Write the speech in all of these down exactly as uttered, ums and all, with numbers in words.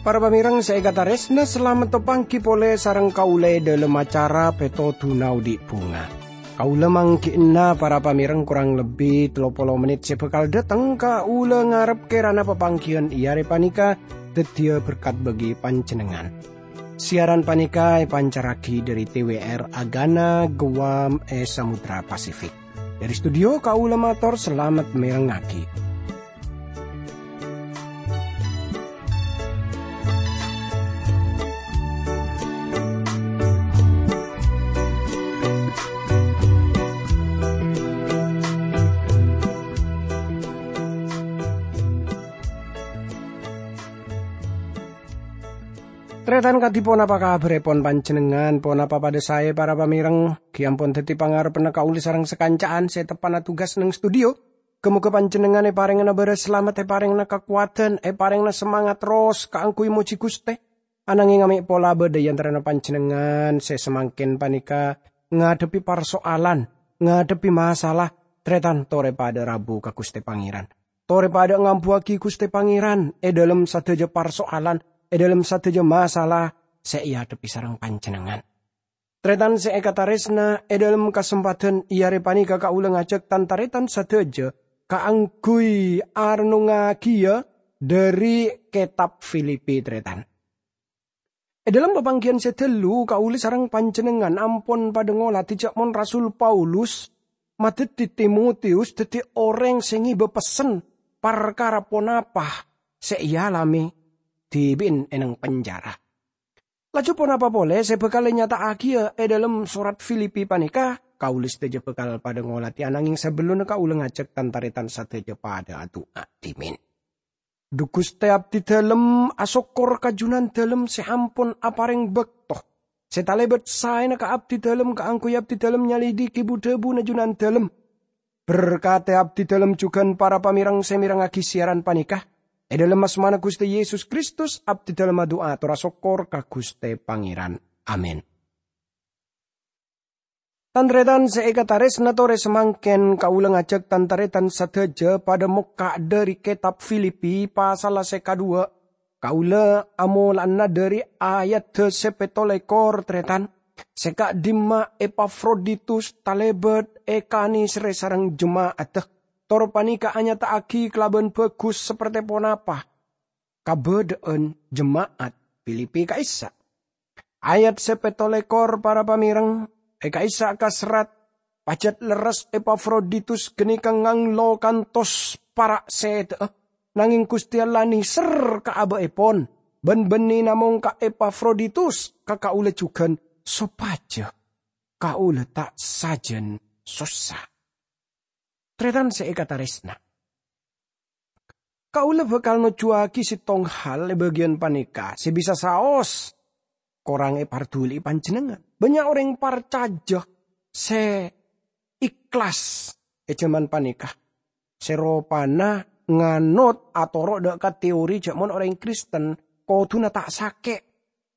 Para pamèrèng sè èkatarèsna, salamet tapangghi polè sareng kaulâ è dhâlem acara Pètodhuna Odi' Bhunga. Kaulâ mangghi'na para pamèrèng korang lebbi tello polo mennit sè bhâkal dhâteng, kaulâ ngarep kèrana papangghiyân è arè panèka dhâddhiyâ berkat bagi panjhennengngan. Siaran panèka èpancarraghi dhâri T W R Agana, Guam, è Samudra Pasifik. Dhâri studio, kaulâ mator salamet mèrengngaghi. Tarètan kadhi, ponapa kabhârèpon panjhennengngan? Ponapa padhâ saè, para pamèrèng? Ghi' ampon dhâddhi pangarebbhânna kaulâ sareng sakanca'an sè teppa'na tugas neng studio. Ghâ-mogâ panjhennengngan èparèngana bârâs salamet, èparèngana kakowadhân, èparèngana samangat terros kaangghuy mojhi Ghustè. Ananghèng amè' pola bâdâ è antarana panjhennengngan sè samangkèn panèka ngadhebbhi parso'alan, ngadhebbhi masalah, tarètan torè padâ rabu ka Ghustè Pangèran. Torè padâ ngambuwâghi Ghustè Pangèran è dhâlem sadhâjâ parso'alan, è dhâlem sadhâjâ masalah sè èadhebbhi sareng panjhennengngan. Tarètan sè èkatarèsna, è dhâlem kasempadhân è arè panèka kaulâ ngajhâk tan-tarètan sadhâjâ kaangghuy arennungngaghiyâ dhâri kètab Filipi, tarètan. È dhâlem papangghiyân sè dâllu, kaulâ sareng panjhennengngan ampon padâ ngolatè jhâ' mon Rasul Paulus madhâddhi Timotius dhâddhi orèng sè ngèbâ pessen parkara ponapa sè èalamè dhibi'en è neng penjara. Laju ponapa polè sè bhâkal ènyata'aghiyâ è dhâlem sorat Filipi panèka? Kaulâ sadhâjâ bhâkal padâ ngolatè, ananghèng sabellunna kaulâ ngajhâk tan-tarètan sadhâjâ padâ adu'a dhimèn. Dhu Ghustè, abdhidhâlem asokkor ka Jhunandhâlem sè ampon aparèng bâkto, sè talèbât saèna ka abdhidhâlem kaangghuy abdhidhâlem nyalèdhighi bu-dhâbuna Jhunandhâlem. Berkadhi abdhidhâlem jhughân para pamèrèng sè mèrengngaghi siaran panèka. È dhâlem asmana Ghustè Yesus Kristus, abdhidhâlem adu'a tor asokkor ka Ghustè Pangèran. Amin. Tan-tarètan sè èkatarèsna, torè samangkèn kaulâ ngajhâk tan-tarètan sadhâjâ padâ mokka' dhâri kètab Filipi pasalla sè kadhuwâ'. Kaulâ amola'ana dhâri ayadhâ sè pètto lèkor, tarètan. Sè ka'dimma Epafroditus talèbât èkanèserrè sareng jema'adda, tor panèka anyata'aghi kalabân bhâghus saperte ponapa kabâdâ'ân jema'at Filipi ka'issa'. Ayat sè pètto lèkor, para pamèrèng, è ka'issa' kaserrat, "Pajhât lerres Epafroditus ghânèka nganglo kantos para' sèdhâ'â, nangèng Ghustè Allah nèser ka abâ'èpon, bân bânnè namong ka Epafroditus, ka kaulâ jhughân, sopajâ kaulâ ta' sajân sossa." Tarètan sè èkatarèsna, kaulâ bhâkal nojjuwâghi sèttong hal è bâgiyân panèka sè bisa saos korang èparduli'i panjhennengngan. Bânnya' orèng parcajâ sè ikhlas è jhâman panèka, sè ropana nganot atoro' dhâ' ka teori jhâ' mon orèng Kristen kodhuna ta' sakè'.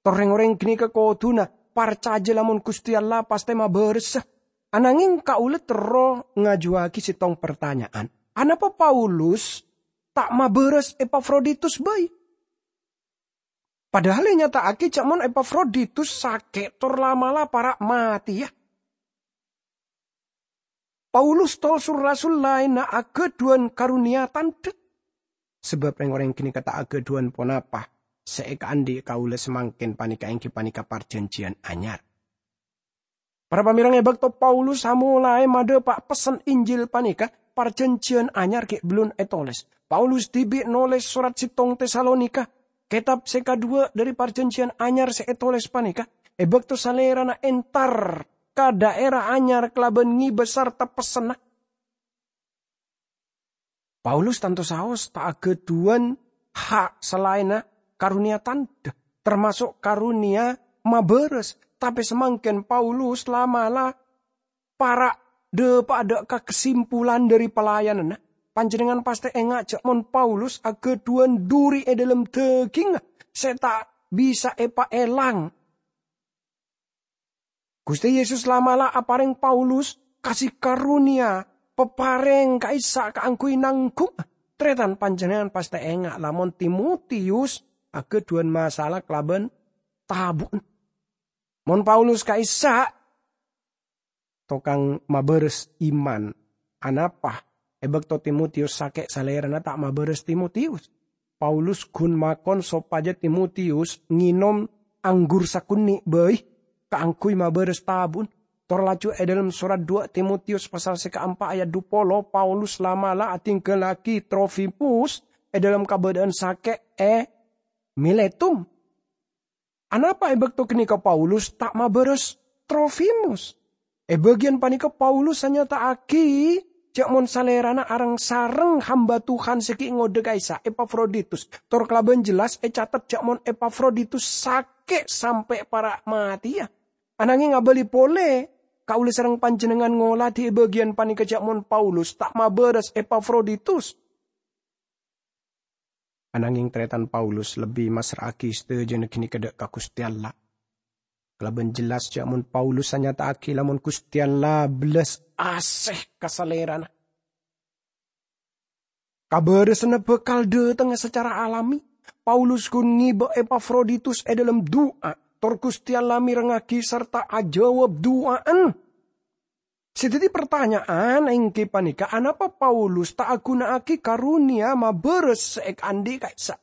Tor rèng-orèng ghânèka kodhuna parcajâ lamon Ghustè Allah pastè mabârâsa. Ananghèng kaulâ terro ngajuwâghi sèttong partanya'an. Anapa Paulus ta' mabârâs Epafroditus bhâi? Padahal ènyata'aghi jhâ' mon Epafroditus sakè' tor la'-mala' para' matèya. Paulus tor sul-rasul laènna aghâdhuwân karonèya tandhâ. Sabâb rèng-orèng ghânèka ta' aghâdhuwân ponapa sè èkaandhi' kaulâ samangkèn panèka èngghi panèka parjhânjhiyân anyar. Para pamèrèng, è bâkto Paulus amolaè madhâpa' pessen Injil panèka, parjhânjhiyân anyar ghi' bellun ètolès. Paulus dhibi' nolès sorat sèttong Tesalonika, kètab sè kadhuwâ' dhâri parjhânjhiyân anyar sè ètolès panèka, è bâkto salèrana entar ka dhaèra anyar kalabân ngibâ sarta pessenna. Paulus tanto saos ta' aghâdhuwân ha' salaènna karonèya tandhâ, tamaso' karonèya mabârâs. Tapè samangkèn Paulus la'-mala' para' dhâpa'a dhâ' ka kasimpulan dhâri pelayananna. Panjhennengngan pastè enga' jhâ' mon Paulus aghâdhuwân dhuri è dhâlem dhâgingnga sè ta' bisa èpaèlang. Ghustè Yesus la'-mala' aparèng Paulus kasih karunia, paparèng ka'issa' kaangghuy nangghung. Tarètan, panjhennengngan pastè enga' lamon Timotius aghâdhuwân masalah kalabân tabu'na. Mon Paulus ka'issa' tokang mabârâs iman, anapa è bâkto Timotius sakè' salèrana ta' mabârâs Timotius? Paulus ghun makon sopajâ Timotius ngènom anggur sakonè' bhâi kaangghuy mabârâs tabu'na. Tor laju è dhâlem sorat duwâ' Timotius pasal sè kaempa' ayat dhu polo, Paulus la'-mala' adhingghâllaghi Trofimus è dhâlem kabâdâ'ân sakè' è Miletum. Anapa è bâkto ghânèka Paulus ta' mabârâs Trofimus? È bâgiyân panèka Paulus anyata'aghi jhâ' mon salèrana areng-sareng hamba Tuhan sè ghi' ngodâ ka'issa', Epafroditus. Tor kalabân jelas ècatet jhâ' mon Epafroditus sakè' sampè' para' matèya. Ananghing abâli polè, kaulâ sareng panjhennengngan ngolatè è bâgiyân panèka jhâ' mon Paulus ta' mabârâs Epafroditus. Ananghing tarètan Paulus lebbi massra'aghi sadhâjâna ghânèka dâ' ka Ghustè Allah. Kalabân jelas jhâ' mon Paulus anyata'aghi lamon Ghustè Allah bellas asè ka salèrana. Kabârâsanna bhâkal dâtengnga sacara alami. Paulus ghun ngibâ Epafroditus è dhâlem du'a, tor Ghustè Allah mèrengngaghi sarta ajâwâb du'a'na. Sè dhâddhi partanya'an èngghi panèka, anapa Paulus ta' aghuna'aghi karunia mabârâs sè èkaandi' ka'issa'?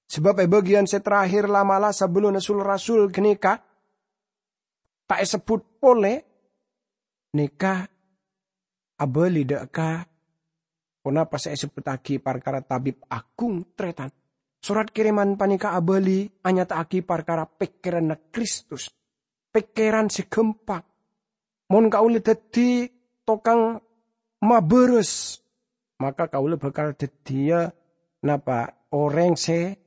Sabâb è bâgiyân sè terakhir la'-mala' sabellunna sul-rasul ghânèka ta' èsebbhut polè, nèka abâli dâ' ka ponapa sè èsebbhuttaghi parkara tabib agung, tarètan. Sorat kèrèman panèka abâli anyata'aghi parkara pèkkèranna Kristus, pèkkèran sè ghâmpang. Mon kaulâ dhâddhi tokang mabârâs, maka kaulâ bhâkal dhâddhiyâ napa orèng sè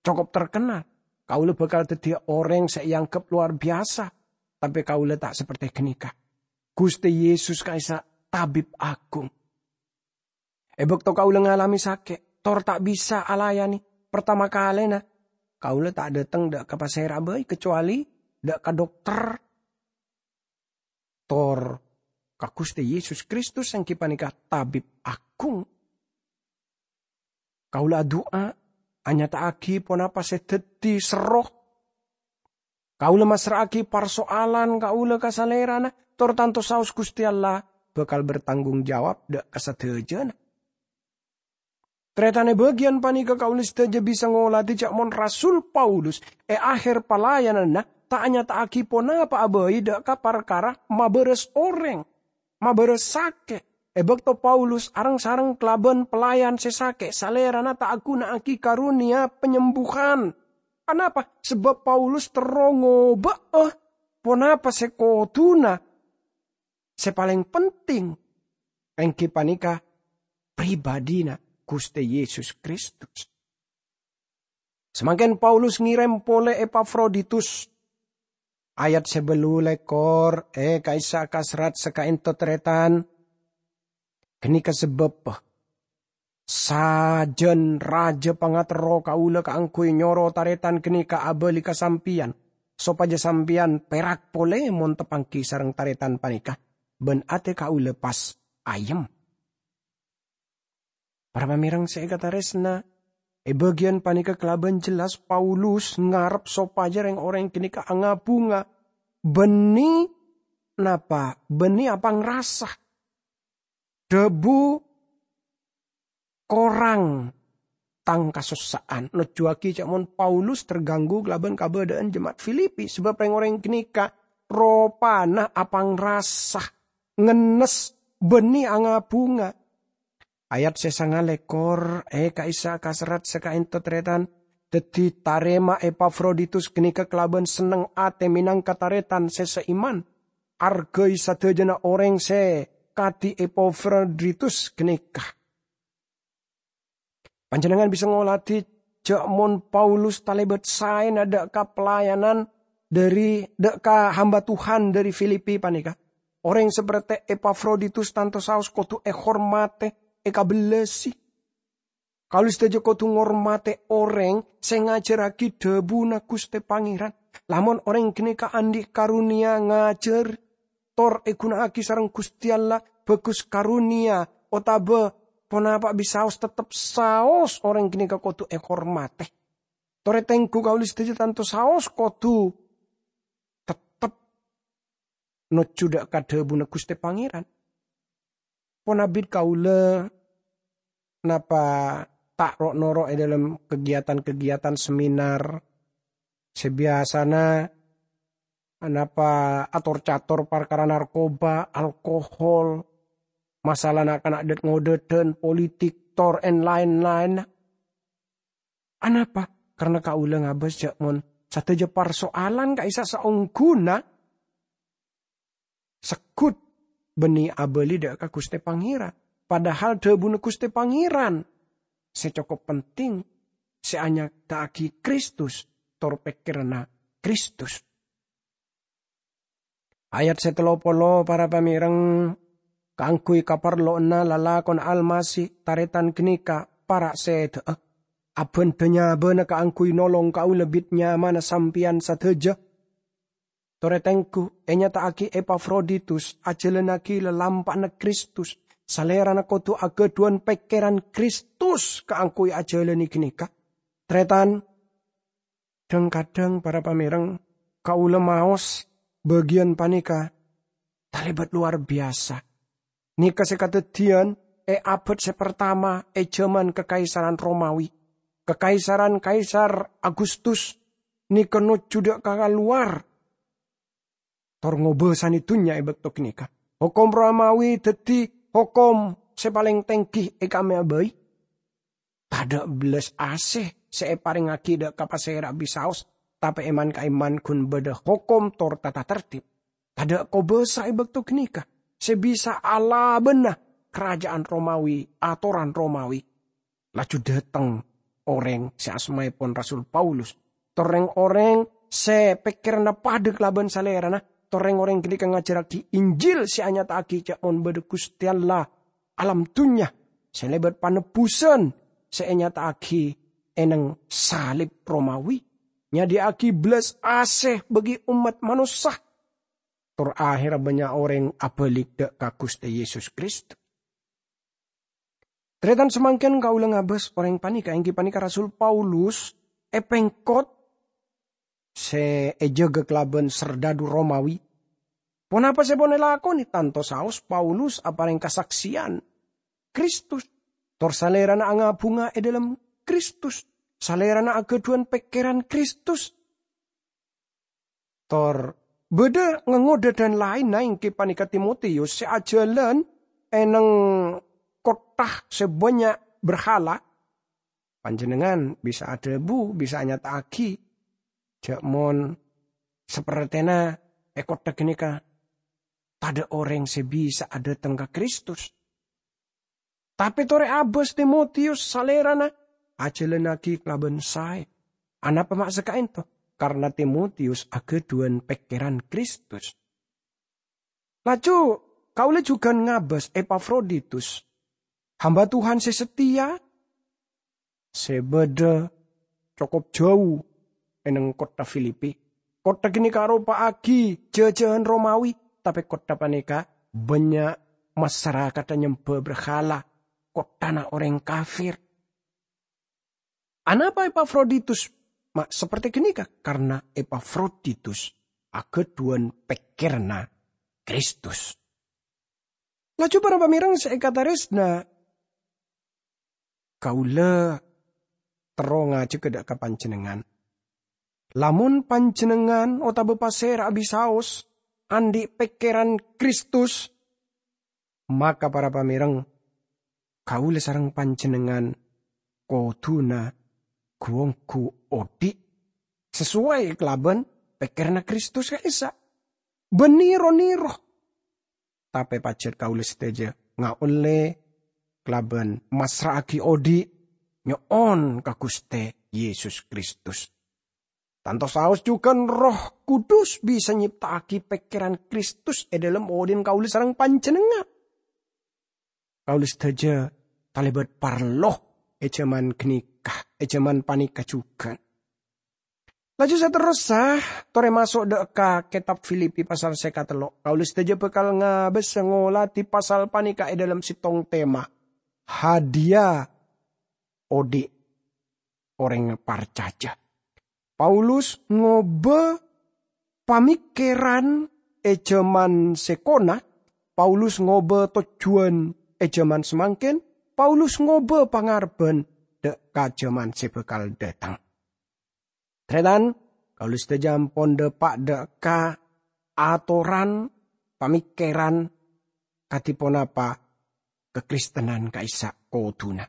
cokop terkenal. Kaulâ bhâkal dhâddhiyâ orèng sè èangghep lowar biyasa, tapè kaulâ ta' saperte ghânèka. Ghustè Yesus ka'issa' tabib agung. È bâkto kaulâ ngalamè sakè', tor ta' bisa alayanè partama kalèna, kaulâ ta' dâteng dâ' ka pasèra bhâi, kacowalè dâ' ka dokter, tor ka Ghustè Yesus Kristus èngghi panèka tabib agung. Kaulâ adu'a, anyata'aghi ponapa sè dhâddhi serro. Kaulâ massra'aghi parsoalan kaulâ ka Salèrana, tor tanto saos Ghustè Allah bhâkal bertanggung jawab dâ' ka sadhâjâna. Tarètan, è bâgiyân panèka kaulâ sadhâjâ bisa ngolatè jhâ' mon Rasul Paulus è akhèr palayananna ta' anyata'aghi ponapa'a bhâi dâ' ka parkara mabârâs orèng, mabârâs sakè'. È bâkto Paulus areng-sareng kalabân pelayan sè sakè', salèrana ta' aghuna'aghi karunia penyembuhan. Anapa? Sabâb Paulus terro ngobâ'â ponapa sè kodhuna, sè palèng penting, èngghi panèka pribadhina Ghustè Yesus Kristus. Samangkèn Paulus ngèrèm polè Epafroditus. Ayat sè bâllu lèkor è ka'issa' kaserrat sakaènto, tarètan. Ghânèka sabâbbhâ sajân rajâ pangaterro kaulâ kaangghuy nyoro tarètan ghânèka abâli ka sampèyan, sopajâ sampèyan pèrak polè mon tapanggi sareng tarètan panèka, bân atè kaulâ pas ayem. Para pamèreng sè èkatarèsna, è bâgiyân panèka kalabân jelas Paulus ngarep sopajâ rèng-orèng ghânèka anga-bhunga, bânnè napa? Bânnè apangrasa. Dhâbu korang tang kasossa'an. Nojjuwâghi jhâ' mon Paulus terganggu kalabân kabâdâ'ân jema'at Filipi, sabâb rèng-orèng ghânèka ropana apangrasa, ngennes, bânnè anga-bhunga. Ayat sè sanga lèkor è ka'issa' kaserrat sakaènto, tarètan. Dhâddhi, tarèma Epafroditus ghânèka kalabân senneng atè mènangka tarètan sè saiman. Arghâi sadhâjâna orèng sè kadhi Epafroditus ghânèka. Panjhennengngan bisa ngolatè jhâ' mon Paulus talèbât saèna dâ' ka pelayanan dhâri, dâ' ka hamba Tuhan dhâri Filipi panèka. Orèng saperte Epafroditus tanto saos kodhu èhormatè, èkabellasi. Kaulâ sadhâjâ kodhu ngormadhi orèng sè ngajhârraghi dhâbuna Ghustè Pangèran. Lamon orèng ghânèka andi' karonèya ngajhâr, tor èghuna'aghi sareng Ghustè Allah, bhâghus karonèya otabâ ponapa bisaos, tettep saos orèng ghânèka kodhu èhormadhi. Torè tengghu kaulâ sadhâjâ tanto saos kodhu tettep nojjhu dâ' ka dhâbuna Ghustè Pangèran. Pon abit kaulâ napa ta' ro'-noro' è dâlem kegiatan-kegiatan seminar sè biyasana napa ator-cator parkara narkoba, alkohol, masalah na'-kana' dât-ngodâdhân, politik, tor, èn laèn-laènna. Anapa? Karna kaulâ ngabâs jhâ' mon sadhâjâ parsoalan ka'issa' saongghuna segghut bânnè abâli dâ' ka Ghustè Pangèran. Padahal dhâbuna Ghustè Pangèran sè cokop penting, sè anyata'aghi Kristus tor pèkkèranna Kristus. Ayat sè tello polo, para pamèrèng, kaangghuy kaparlowanna lalakonna Almasih, tarètan ghânèka para' sèdhâ'â, abhândhâ nyabâna kaangghuy nolong kaulâ bit nyamana sampèyan sadhâjâ. Torè tengghu, ènyata'aghi Epafroditus ajhâlânnaghi lalampa'anna Kristus. Salèrana kodhu aghâdhuwân pèkkèran Kristus kaangghuy ajhâlâni ghânèka. Tarètan, dhâng-kadhâng, para pamèrèng, kaulâ maos bâgiyân panèka talèbât lowar biyasa. Nèka sè kadhâddhiyân è abâd sè partama è jhâman Kakaisaran Romawi. Kakaisaran Kaisar Agustus nèka nojjhu dâ' ka kalowar tor ngobâsane dunnya e bakto ganeka. Hokom Romawi daddi hokom se paleng tenggi e ka'amma bhâi. Tadha' bellas ase se eparengngagi dha' ka pasera bisaos, tape e man-ka'emman gun badha hokom tor tata tertib. Tadha' kobasa e bakto ganeka se bisa alabana karaja'an Romawi, atoran Romawi. Laju dhateng oreng se asmaepon Rasul Paulus, tor reng-oreng se pekkeranna padha kalaban Salerana, tor reng-oreng ganeka ngajarragi Injil se anyata'agi ja' mon badha Guste Allah alam dunnya se lebat panebbusan se enyata'agi e neng salib Romawi, nyadiya'agi belas ase bagi ommat manossa, tor aherra bannya' oreng abalik dha' ka Guste Yesus Kristus. Taretan samangken kaula ngabas oreng paneka, enggi paneka Rasul Paulus e pengkot se ejaga kalaban serdadu Romawi. Ponapa se pon elakone? Tanto saos Paulus apareng kasaksiyan Kristus, tor salerana anga-bunga e dhalem Kristus, salerana agadhuwan pekkeran Kristus. Tor badha ngangodha dan laenna, enggi paneka Timotius se ajalan e neng kottha se bannya' berhala. Panjennengngan bisa adhabu, bisa anyata'agi, ja' mon sapertena e kottha ganeka tadha' oreng se bisa adhateng ka Kristus. Tape tore abas Timotius, salerana ajalannagi kalaban sae. Anapa ma' saka'ento? Karna Timotius agadhuwan pekkeran Kristus. Laju kaula jugan ngabas Epafroditus, hamba Tuhan se setia, se badha cokop jau e neng kottha Filipi. Kottha ganeka aropa'agi jajahan Romawi, tape kottha paneka bannya' masarakatta nyemba berhala, kotthana oreng kafir. Anapa Epafroditus ma' saperte ganeka? Karna Epafroditus agadhuwan pekkeranna Kristus. Laju para pamereng se ekataresna, kaula terro ngajak dha' ka panjennengngan. Lamon panjennengngan otaba pasera abisaos andhi' pekkeran Kristus, maka para pamereng, kaula sareng panjennengngan koduna gu-onggu odhi' sasuai kalaban pekkeranna Kristus ka'issa'. Bân nero-nero. Tape pajat kaula sadaja ngaolle kalaban masra'agi odhi' nyo'on ka Guste Yesus Kristus. Tanto saos jugan Erroh Kudus bisa nyepta'agi pekkeran Kristus e dhalem odhi'na kaula sareng panjennengngan. Kaula sadaja talebat parlo è jhâman ghânèka, è jhâman panèka jhughân. Laju saterrossa, torè maso' dâ' ka kètab Filipi pasal sè katello'. Kaulâ sadhâjâ bhâkal ngabâsa ngolatè pasal panèka è dâlem sèttong tema, hadiya odi' orèng parcajâ. Paulus ngobâ pamèkkèran è jhâman sè kona, Paulus ngobâ tojjhuwân è jhâman samangkèn, Paulus ngobâ pangarebbhân dâ' ka jhâman sè bhâkal dâteng. Tarètan, kaulâ sadhâjâ ampon dâpa' dâ' ka atoran, pamèkkèran kadhi ponapa kakristenan ka'issa' kodhuna.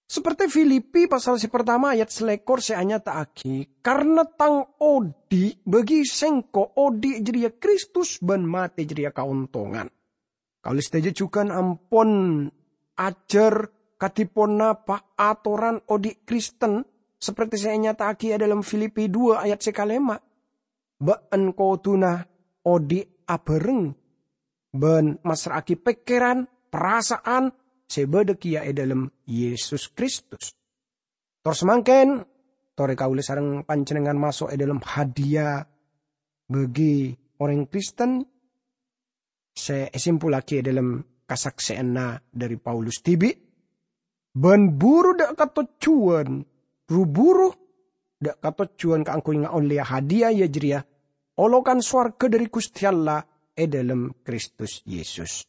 Saperti Filipi pasal sè partama ayat salèkor sè anyata'aghi, "Karna tang odi' bagi sèngko' odi' jârèya Kristus bân matè jârèya kaontongan." Kaulâ sadhâjâ jhughân ampon ajhâr kadhi ponapa atoran odi' Kristen, saperti sè ènyata'aghi è dâlem Filipi dua ayat sè kalèma'. Bâ'ân kodhuna odi' abhâreng bân massra'aghi pèkkèran, parasa'an sè bâdâ kèya è dâlem Yesus Kristus. Tor samangkèn, torè kaulâ sareng panjhennengngan maso' è dâlem hadiya bagi orèng Kristen sè èsimpullaghi è dâlem kasaksè'anna dhâri Paulus dhibi', bân buru dâ' ka tojjhuwân, ru-buru dâ' ka tojjhuwân kaangghuy ngaollèya hadiya, iyâ jârèya olokan sowarghâ dhâri Ghustè Allah è dâlem Kristus Yesus.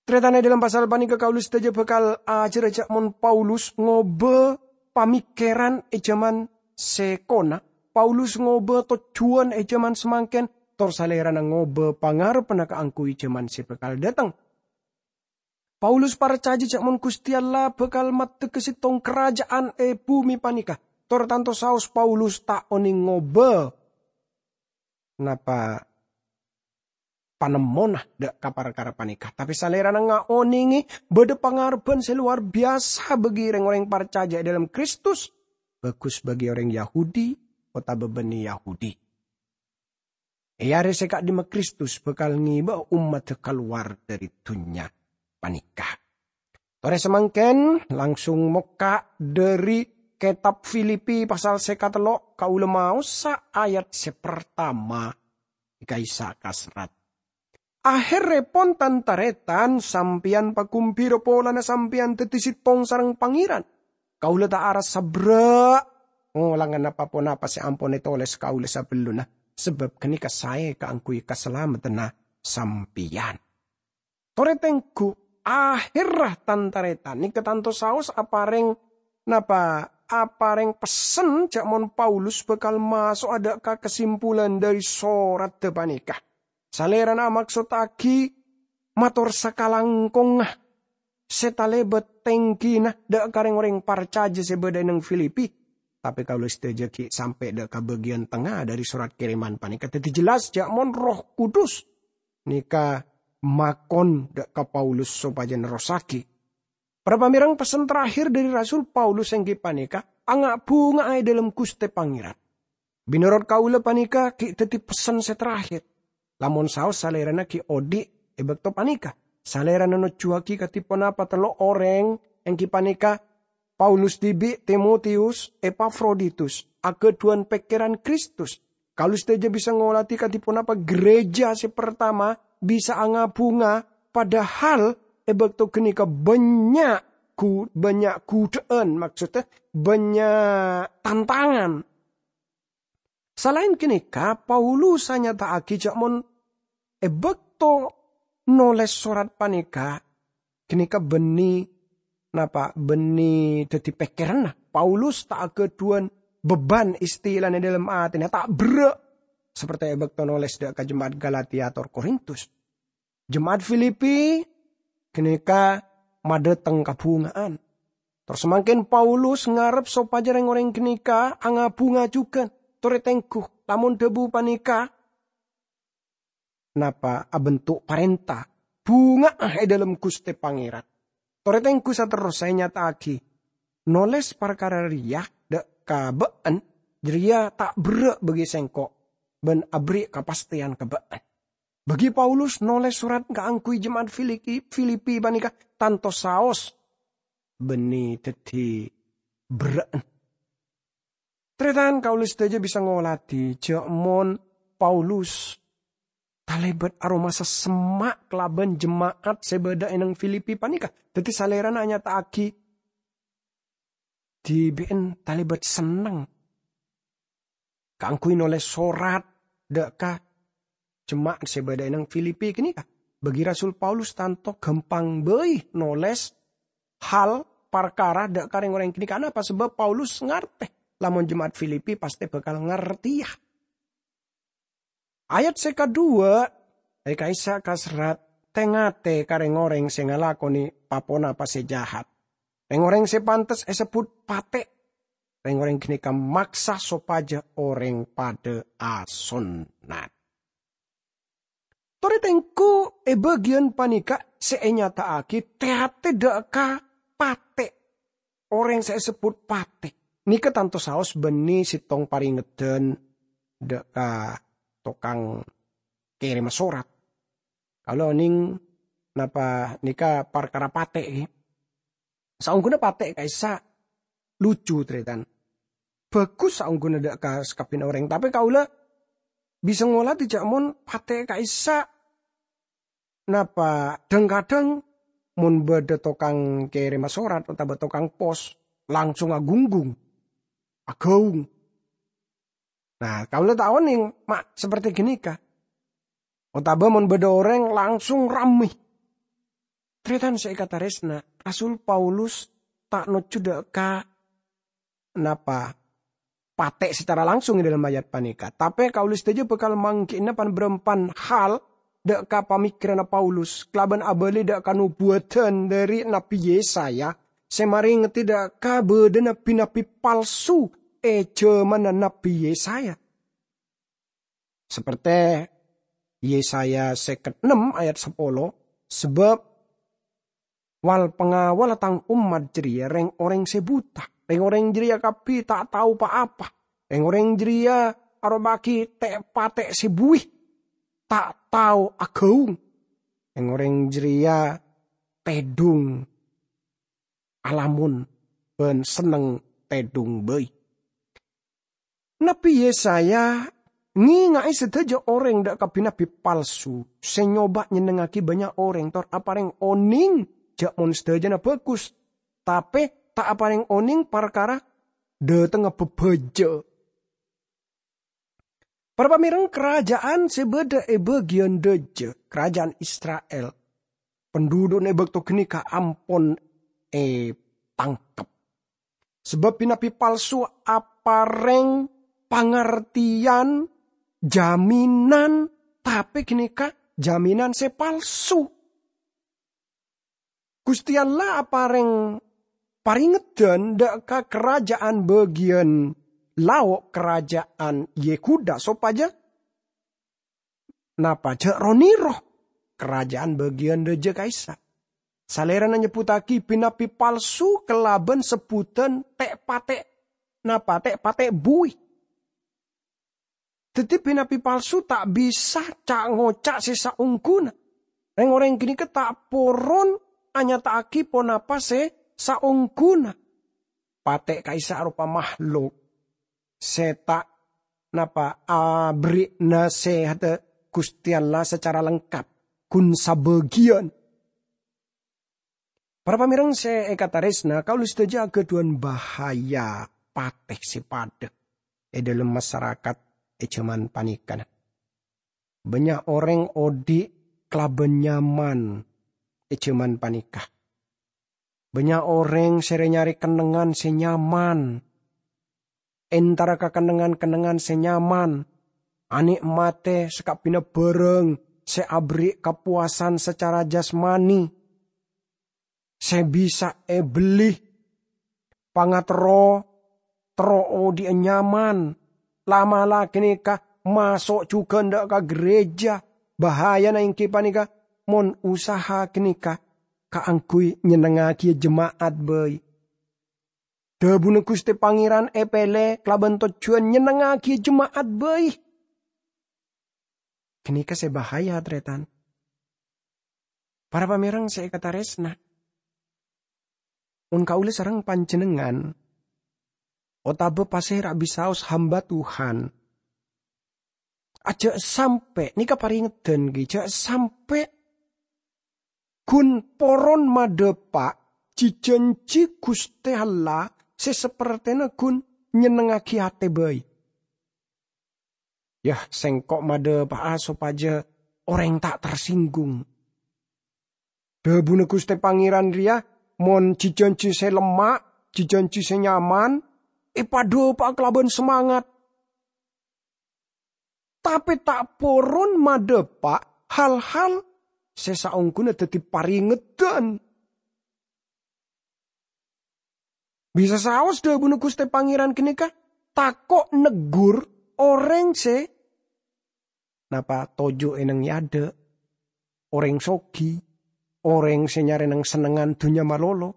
Tarètan, è dâlem pasal panèka kaulâ sadhâjâ bhâkal ajhârâ jhâ' mon Paulus ngobâ pamèkkèran è jhâman sè kona, Paulus ngobâ tojjhuwân è jhâman samangkèn, tor Salèrana ngobâ pangarebbhânna kaangghuy jhâman sè bhâkal dâteng. Paulus parcajâ jhâ' mon Ghustè Allah bhâkal maddhâgâ sèttong karaja'an è bhumè panèka, tor tanto saos Paulus ta' onèng ngobâ napa panemmona dâ' ka parkara panèka. Tapè Salèrana ngaonèngè bâdâ pangarebbhân sè lowar biyasa bagi rèng-orèng parcajâ è dâlem Kristus, bhâghus bagi orèng Yahudi otabâ bânnè Yahudi. È arè sè ka'dimma Kristus bhâkal ngèbâ ommaddhâ kalowar dhâri dhunnya panèka. Torè samangkèn, langsung mokka' dhâri kètab Filipi pasal sè katello', kaulâ maosa ayat sè partama, ka'issa' kaserrat. Ahèrrèpon, tan-tarètan, sampèyan pagumbira polana sampèyan dhâddhi sèttong sareng Pangèran. Kaulâ ta' arassa berrâ' ngolangana pa-ponapa sè ampon ètolès kaulâ sabellunna, sabâb ghânèka saè kaangghuy kasalameddhânna sampèyan. Torè tengghu, ahèrra tan-tarètan nèka tanto saos aparèng, napa, aparèng pessen jhâ' mon Paulus bhâkal maso'a dâ' ka kasimpulan dhâri soradda panèka. Salèrana amaksottaghi mator sakalangkongnga sè talèbât tèngghina dâ' ka rèng-orèng parcajâ sè bâdâ è neng Filipi. Tapè kaulâ sadhâjâ ghi' sampè' dâ' ka bâgiyân tengnga dhâri sorat kèrèman panèka. Dhâddhi jelas jhâ' mon Erroh Kudus nèka makon dâ' ka Paulus sopajâ nerrossaghi. Para pamèrèng, pessen terakhir dhâri Rasul Paulus èngghi panèka, "Anga'-bhunga'a è dâlem Ghustè Pangèran." Mènorot kaulâ panèka ghi' dhâddhi pessen sè terakhir. Lamon saos Salèrana ghi' odi' è bâkto panèka, Salèrana nojjuwâghi kadhi ponapa tello' orèng, èngghi panèka Paulus dhibi', Timotius, Epafroditus, aghâdhuwân pèkkèran Kristus. Kaulâ sadhâjâ bisa ngolatè kadhi ponapa ghârâjâ sè partama bisa anga-bhunga, padahal è bâkto ghânèka bânnya' gu-, bânnya' ghudhâ'ân, maksodda bânnya' tantangan. Salaèn ghânèka, Paulus anyata'aghi jhâ' mon è bâkto nolès sorat panèka, ghânèka bânnè, napa, bânnè dhâddhi pèkkèranna. Paulus ta' aghâdhuwân beban istilana è dâlem atèna, ta' berrâ', saperti è bâkto nolès dâ' ka jema'at Galatia tor Korintus. Jema'at Filipi ghânèka madhâteng kabhunga'an. Tor samangkèn Paulus ngarep sopajâ rèng-orèng ghânèka anga-bhunga jhughân. Torè tengghu, lamon dhâbu panèka, napa, abentuk parènta, "Bhunga'a è dâlem Ghustè Pangèran." Torè tengghu saterrossa ènyata'aghi, nolès parkara rèya dâ' ka bâ'ân, jârèya ta' berrâ' bagi sèngko', bân aberri' kapastèyan ka bâ'ân. Bagi Paulus nolès sorat kaangghuy jema'at Filiki-, Filipi panèka tanto saos bânnè dhâddhi berrâ'na. Tarètan, kaulâ sadhâjâ bisa ngolatè jhâ' mon Paulus talèbât aromasa semma' kalabân jema'at sè bâdâ è neng Filipi panèka. Dhâddhi salèrana anyata'aghi dhibi'en talèbât senneng kaangghuy nolès sorat dâ' ka jema'at sè bâdâ è neng Filipi ghânèka. Bagi Rasul Paulus tanto ghâmpang bhâi nolès hal parkara dâ' ka rèng-orèng ghânèka. Anapa? Sabâb Paulus ngartè, lamon jema'at Filipi pastè bhâkal ngartèya. Ayat sè kaduwâ', è ka'issa' kaserrat, "Tè-ngatè ka rèng-orèng sè ngalakonè pa-ponapa sè jahat. Rèng-orèng sè pantes èsebbhut patè'." Rèng-orèng ghânèka maksa sopajâ orèng padâ asonnat. Torè tèngghu è bâgiyân panèka sè ènyata'aghi tè-atè dâ' ka patè'. Orèng sè èsebbhut patè' nèka tanto saos bânnè sèttong parèngedhân dâ' ka tokang kèrèmma sorat. Kaulâ onèng napa nèka parkara patè', ghi. Saongghuna patè' ka'issa' lucu, tarètan. Bhâghus saongghuna dâ' ka sakabbhiyânna orèng, tapè kaulâ bisa ngolatè jhâ' mon patè' ka'issa' napa dhâng-kadhâng mon bâdâ tokang kèrèmma sorat otabâ tokang pos langsung agunggung, agaung. Nah, kaulâ ta' onèng ma' saperte ghânèka. Otabâ mon bâdâ orèng langsung rammè. Tarètan sè èkatarèsna, Rasul Paulus ta' nojjhu dâ' ka napa patè' sacara langsung è dâlem ayat panèka. Tapè kaulâ sadhâjâ bhâkal mangghi'na pan-bârâmpan hal dâ' ka pamikkiranna Paulus kalabân abâli dâ' ka nobuwâdhân dâri Nabbhi Yesaya sè marèngedhâ dâ' ka bâdâna bi-nabbhi palsu è jhâmanna Nabbhi Yesaya. Saperte Yesaya sèket ennem ayat sapolo, "Sabâb wal-pangawalla Tang ommat jârèya rèng-orèng sè buta. Rèng-orèng jârèya kabbhi ta' tao pa-apa. Rèng-orèng jârèya aropa'aghi tè'-patè' sè buwi, ta' tao agaung. Rèng-orèng jârèya tèdhung alamon bân senneng tèdhung bhâi." Nabbhi Yesaya ngènga'è sadhâjâ orèng dâ' ka bi-nabbhi palsu sè nyoba nyennengngaghi bânnya' orèng tor aparèng onèng jhâ' mon sadhâjâna bhâghus, tapè ta' aparèng onèng parkara dhâtengnga bhâbhâjâ. Para pamèreng, karaja'an sè bâdâ è bâgiyân dâjâ, karaja'an Isra'il, pandhudhu'na è bâkto ghânèka ampon ètangkep. Sabâb bi-nabbhi palsu aparèng pangartèyan jaminan, tapè ghânèka jaminan sè palsu. Ghustè Allah aparèng parèngedhân dâ' ka karaja'an bâgiyân lao' karaja'an Yehuda sopajâ napa jhâ' ro-nèro karaja'an bâgiyân dâjâ ka'issa'. Salèrana nyebbhuttaghi bi-nabbhi palsu kalabân sebbhudhân tè'-patè', napa tè'-patè' buwi. Dhâddhi bi-nabbhi palsu ta' bisa ca'-ngoca' sè saongghuna. Rèng-orèng ghânèka ta' poron anyata'aghi ponapa sè saongghuna. Patè' ka'issa' aropa mahluk sè ta' napa aberri' nasèhadhâ Ghustè Allah sacara lengkap, ghun sabâgiyân. Para pamèreng sè èkatarèsna, kaulâ sadhâjâ aghâdhuwân bahaya patè' sè padâ è dâlem masarakat è jhâman panèka. Bânnya' orèng odi' kalabân nyaman è jhâman panèka. Bânnya' orèng sè rè-nyarè kennengngan sè nyaman. Entara ka kennengngan-kennengngan sè nyaman, anè'matè sakabbhiyânna bhârâng sè aberri' kapowasan sacara jasmani, sè bisa èbelli, pangaterro, terro odi'â nyaman, la'-mala' ghânèka maso' jhughân dâ' ka ghârèjâ. Bahayana èngghi panèka mon usaha ghânèka kaangghuy nyennengngaghi jema'at bhâi. Dhâbuna Ghustè Pangèran èpèlè kalabân tojjhuwân nyennengngaghi jema'at bhâi. Ghânèka sè bahaya, tarètan. Para pamèreng sè èkatarèsna, Mon kaulâ sareng panjhennengngan, otabâ pasèra bisaos hamba Tuhan, ajâ' sampè', nèka parèngedhân ghi, jhâ' sampè' ghun poron madhâpa' ji-jhânji Ghustè Allah sè sapertèna ghun nyennengngaghi atè bhâi. "Yâ, sèngko' madhâpa'a sopajâ orèng ta' tersinggung." Dhâbuna Ghustè Pangèran rèya, mon ji-jhânji sè lemma', ji-jhânji sè nyaman, èpadhâpa'a kalabân semangat. Tapè ta' poron madhâpa' hal-hal sè saongghuna dhâddhi parèngedhân. Bisa saos dhâbuna Ghustè Pangèran ghânèka, tako' neggur orèng sè napa toju' è neng è adâ', orèng soghi, orèng sè nyarè neng-sennengngan dhunnya malolo.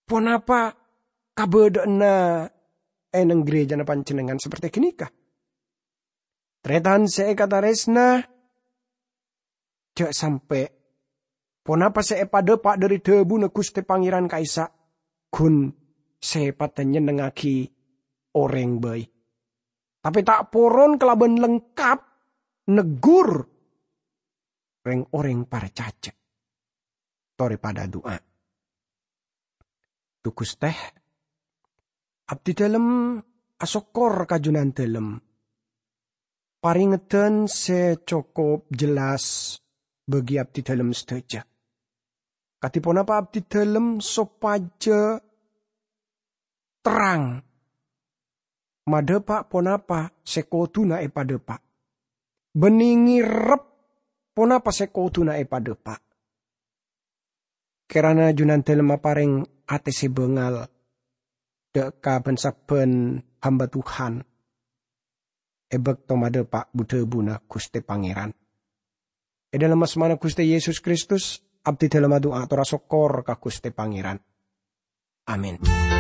Ponapa kabâdâ'ânna è neng ghârèjâna panjhennengngan saperti ghânèka? Tarètan sè èkatarèsna, jhâ' sampè' ponapa sè èpadhâpa' dhâri dhâbuna Ghustè Pangèran ka'issa' ghun sèpatta nyennengngaghi orèng bhâi, tapè ta' poron kalabân lengkap neggur rèng-orèng parcajâ. Torè padâ adu'a. Dhu Ghustè, abdhidhâlem asokkor ka Jhunandhâlem. Parèngedhân sè cokop jelas bagi abdhidhâlem sadhâjâ. Kadhi ponapa abdhidhâlem sopajâ terrang madhâpa' ponapa sè kodhuna èpadhâpa', bânnè ngèrep ponapa sè kodhuna èpadhâpa'. Kèrana Jhunandhâlem aparèng atè sè bângal dâ' ka bân-sabbhân hamba Tuhan è bâkto madhâpa' bu-dhâbuna Ghustè Pangèran. È dhâlem asmana Ghustè Yesus Kristus, abdhidhâlem adu'a tor asokkor ka Ghustè Pangèran. Amin.